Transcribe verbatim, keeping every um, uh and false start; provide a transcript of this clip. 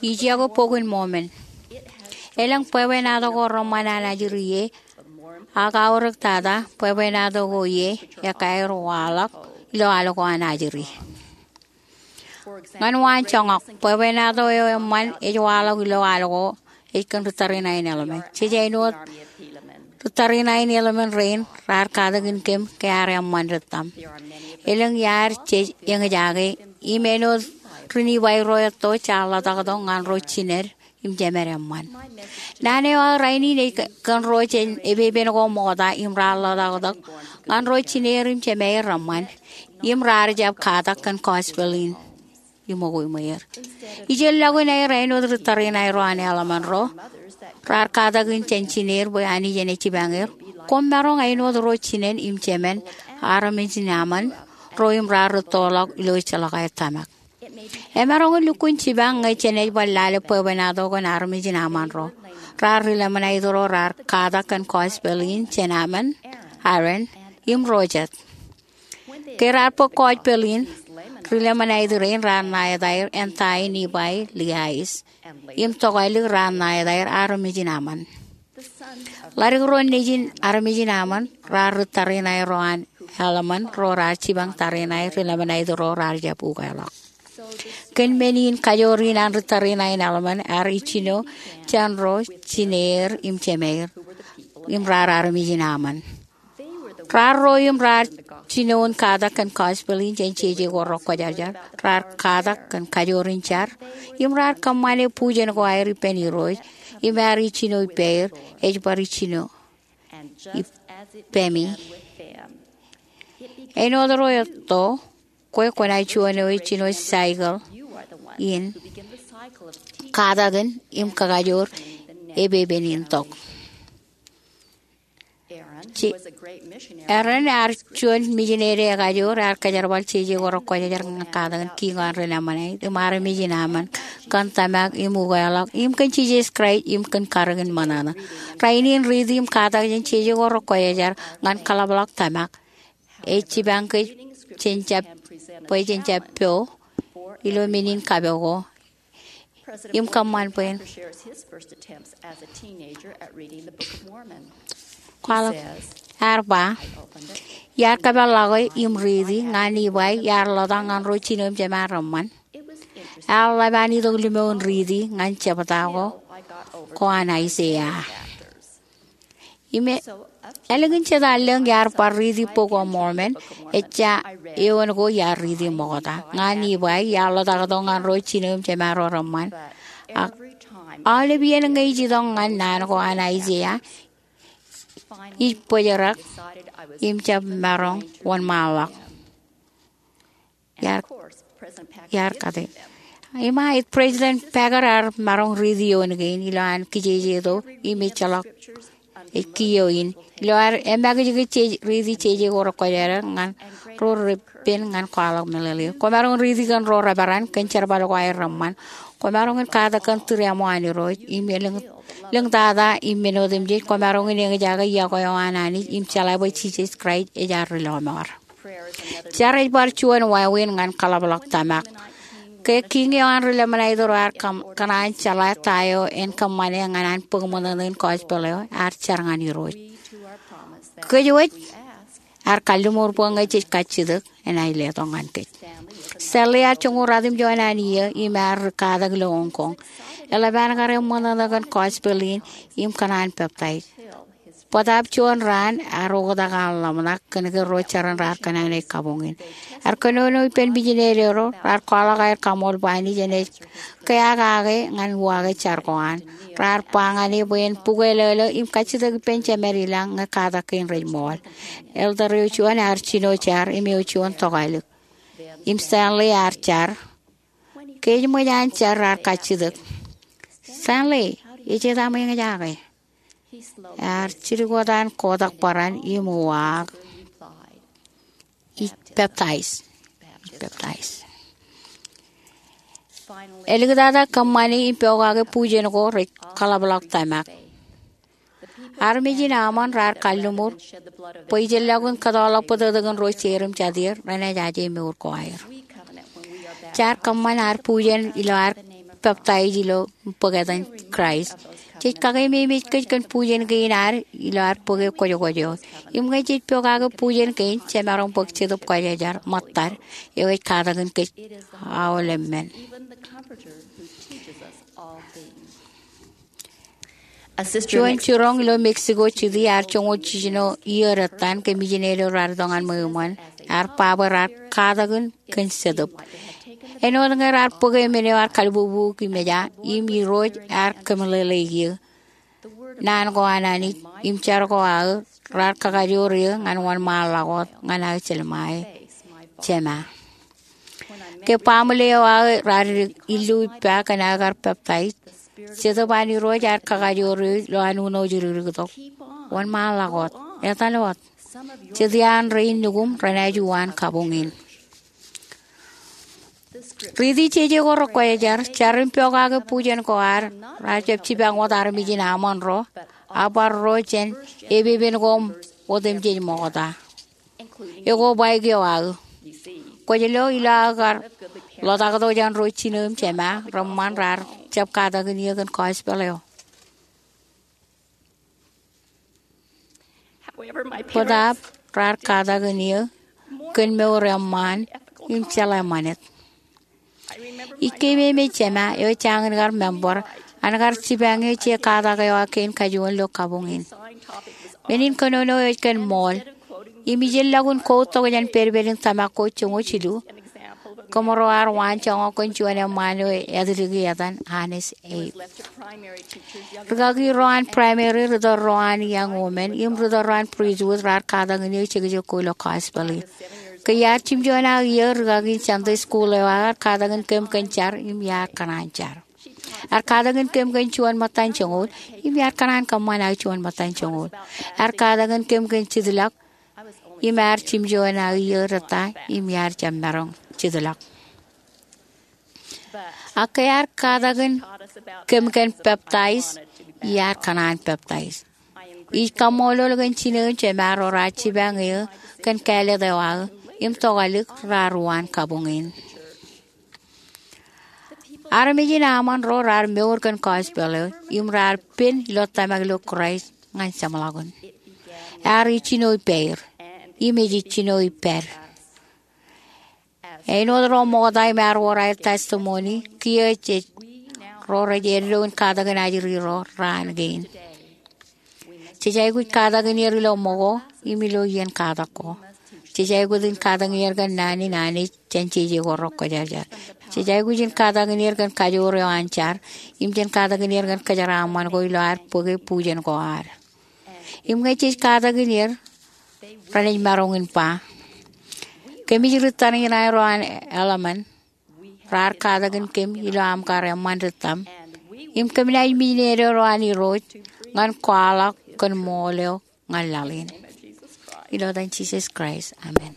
Ij iọkwe Bok in Mormon. Elōñ bwebwenato ko reṃṃan an ajri ie, ak aorōk tata bwebwenato ko ie ekāāl waḷọk ilo al ko an ajri. Ñan waanjoñak, bwebwenato eo eṃṃan ej waḷọk ilo al ko ej kōn ri tariṇae in Helaman. Jej āinwōt ri tariṇae in Helaman rein raar katakin kōm ke ear eṃṃan rūttam. Elōñ iaad jej eñjake im āinwōt ri Nifai ro etto jaar ḷotaktok ñan ro jined im jemed eṃṃan. Naan eo aō rainin ej kōn ro jān epepen ko ṃokta im raar ḷotaktok ñan ro jineer im jemaer reṃṃan im raar jab katak kōn gospel in ṃōko iṃweer. Ijeḷọkin aer āinwōt ri tariṇae ro an Helaman ro raar katakin jān jineer bwe Anij en jipañ er, koṃ maroñ āinwōt ro jinen im jemen armej in Ammon ro im raar rūttoḷọk ilo ejjeḷọk aer tōmak. Emaroñ in lukkuun jipañ ñe jenaaj bar lale bwebwenato kōn armej in Ammon ro. Raar ri Lamanait ro raar katak kōn gospel in jān Ammon, Aaron, im ro jet. Ke raar bōk gospel in, ri Lamanait rein raar ṇa etaer Entae, Nipai, Liais, im tokālik raar ṇa etaer armej in Ammon. Ḷaddik ro nejin armej in Ammon raar ri tariṇae ro an Helaman ro raar jipañ tariṇae ri Lamanait ro raar jab ukeḷọk. Kōn men in kajoor in an ri tariṇae in Helaman ear ijjino jān ro jineer im jemaer im raar armej in Ammon. Raar ro im raar jino in katak kōn gospel in jān jeje ko rekwōjarjar. Raar katak kōn kajoor in jar im raar kōṃṃane bujen ko aer ippān Irooj im ear ijjino ippāer ej bar ijjino ippemi. Āinwōt ro etto, kwe kwōnaaj juon eo ej jino cycle in katakin im kakajoor epepen in tok. Aaron ear juon mijinede ekajoor ear kōjerbal jeje ko rekwōjarjar ñan katakin kiiñ eo an ri Lamanait im armej in Ammon kōn tōmak im ukeḷọk im kōn Jisōs Kraist im kōn karōk in ṃōṇōṇō. Rainin riiti im katak jān jeje ko rekwōjarjar ñan kaḷapḷọk tōmak ej jipañ kōj jān jab, bwe jen jab po ilo men in kapoko im kōṃṃan bwe en kwaḷọk. Ear ba, iar kōpeḷḷọke im riiti ñan Nipai iar ḷotak ñan ro jino im jemān reṃṃan. Ear ḷap an itok limo in riiti ñan jebta ko, ko an Aiseia. Im ālikin jeta lōñ iar bar riiti Bok of Mormon, ejja eoon ko iar riiti ṃokta. Ñan Nipai, iar ḷotaktok ñan ro jino im jemān ro reṃṃan. Ak aolep iien ñe ij itok ñan naan ko an Aiseia, ij bōjrak im jab maroñ wōnṃaanḷọk. Iar, iar kate. Im a, President Packer ear maroñ riiti eoon kein ilo an kijejeto im ejjeḷọk ej kiiō in. Ilo ad emakijkij jej riiti jeje ko rekwōjarjar ñan ro repen ñan kwaḷọk meḷeḷe. Kwōmaroñ riiti kōn ro reperan kōn jerbal ko aer reṃṃan. Kwōmaroñ in katak kōn tūriaṃo an Irooj im elōñ, lōñtata im men otemjej. Kwōmaroñ in eñjake iọkwe eo an Anij im jeḷā bwe Jisōs Kraist ej ad Rilọmọọr. Jar ej bar juon wāween ñan kaḷapḷọk tōmak. Ke kiiñ eo an ri Lamanait ro ear kōn, kōṇaan jeḷā ta eo en kōṃṃane ñan an bōk ṃōṇōṇō in gospel eo, ear jar ñan Irooj. Kōj wōj, ear kalliṃur bwe ñe jej kajjitōk, enaaj letok ñan kōj. Stanley ear joñoul ratimjuon an iiō im ear katak ilo Hong Kong. Eḷap an kar eṃṃōṇōṇō kōn gospel in im kōṇaan peptaij. Bōtaab juon raan ear oktak an ḷōmṇak kōnke ro jeran raar kōṇaan ej kabuñ in. Ear kōnono ippān mijinede ro, raar kwaḷọk aer kaṃool bwe Anij enaaj kea kake ñan uwaak eo jar ko an. Raar ba ñan e bwe en bukweilōlō im kajjitōk ippān jemed ilañ ñe katak kein rej ṃool. Elder eo juon ear jino jar im eo juon tokālik. Im Stanley ear jar. Ke ej ṃōj an jar raar kajjitōk, Stanley, ej eta ṃōj eñjake? Ear jidik wōt an kotak bōran im uwaak, ij peptaij. Ij peptaij. Eliktata kōṃṃani im pokake bujen ko rej kaḷapḷọk tōmak. Armej in Ammon raar kalliṃur bwe ijellọkin kōtọọrḷọk bōtōktōkin ro jeid im jatier renaaj aje mour ko aer. Jaar kōṃṃan ad bujen ilo ad peptaij ilo bōk etan Kraist. Jej kakeememej kōj kōn bujen kein ad ilo ad bōke kwojokwōj eo. Im ñe jej pokake bujen kein, jemaroñ bōk Jetōb Kwōjarjar ṃōttad eo ej katakin kōj aolep men. Juon jiroñ ilo Mexico City ear joñoul jiljino iiō dettan ke misineri eo raar itok ñan ṃweo eṃṃan ear ba bwe raar katakin kōn Jetōb. Āinwōt ñe raar bōke men eo ear kalbubu im eja, im Irooj ear kōmeḷeḷeik eō. Naan ko an Anij im jar ko aō raar kakajoor eō ñan wōnṃaanḷọk wōt ñan aō jelṃae, Jema. Ke baaṃle eo aō raar illu ippa kōn aō kar peptaij, Jetōb an Irooj ear kakajoor eō ilo an uno ej rikiriktok, Wōnṃaanḷọk wōt. Etal wōt. Jet iaan rein nukuṃ renaaj uwaan kabuñ in. Riiti jeje ko rekwōjarjar, jar im pokake bujen ko ad, raar jab jipañ wōt armej in aṃōn ro, a bar ro jān epepen ko otemjej ṃokta, ekwe baik eo aō. Kwōj lo ilo aō kar ḷotaktok jān ro jino im jema reṃṃan raar jab katakin eō kōn gospel eo. Bōtaab raar katakin eō kōn mour eṃṃaan im jeḷā ṃanit. Ij keememej jema eo ej jañin kar member an kar jipañ eō je katak eo aō kein kajuon ilo kabuñ in. Men in kōnono eo ej kōn ṃool, im ij ilọk in quote tok jān pedped in tōmak ko joñoul jilu, koṃro ar waanjoñak kōn juon eṃṃaan eo ej ātdiki etan Honest Abe. Rikaki ro an primary ritōl ro an young women im ritōl ro an priesthood raar katakin eō jekjek ko ilo gospel in. Ke iar jimjuon aō iiō, rikaki in Sunday school eo aō ear katakin kōm kōn jar im iar kōṇaan jar. Ear katakin kōm kōn juon ṃōttan joñoul im iar kōṇaan kōṃṃan aō juon ṃōttan joñoul. Ear katakin kōm kōn jitḷọk im ear jimjuon aō iiō rej ta im iar jab maroñ jitḷọk. Ak ke ear katakin kōm kōn peptaij, iar kōṇaan peptaij. Ij kaṃṃoolol kōn jino im jema ro raar jipañ eō kōn kāālōt eo aō im tokālik raar uwaan kabuñ in. Armej in aṃōn ro raar mour kōn gospel eo im raar pen ilo tōmak ilo Kraist ñan jeṃḷọkin. Ear ijjino ippāer im ej ijjino ippād. Āinwōt ro ṃokta im ear wōr aer testimony, kiiō jej ro rej eddo in katakin ajri ro raan kein. Jej aikuj katakin er ilo ṃōko im ilo iien katak ko. Jej aikuj in katakin er kōn naan in Anij jān jeje ko rekwōjarjar. Jej aikuj in katakin er kōn kajoor eo an jar im jān katakin er kōn kōjeraaṃṃan ko ilo ad bōke bujen ko ad. Im ñe jej katakin er, renaaj maroñ in ba, kōmij ri tariṇae ro an eḷmān, raar katakin kōm ilo aṃ kar eṃṃan ri tōm, im kōm naaj mijneedo ro an Irooj ñan kwaḷọk kōn ṃool eo ñan laḷ in. Ilo etan Jisōs Kraist, amen.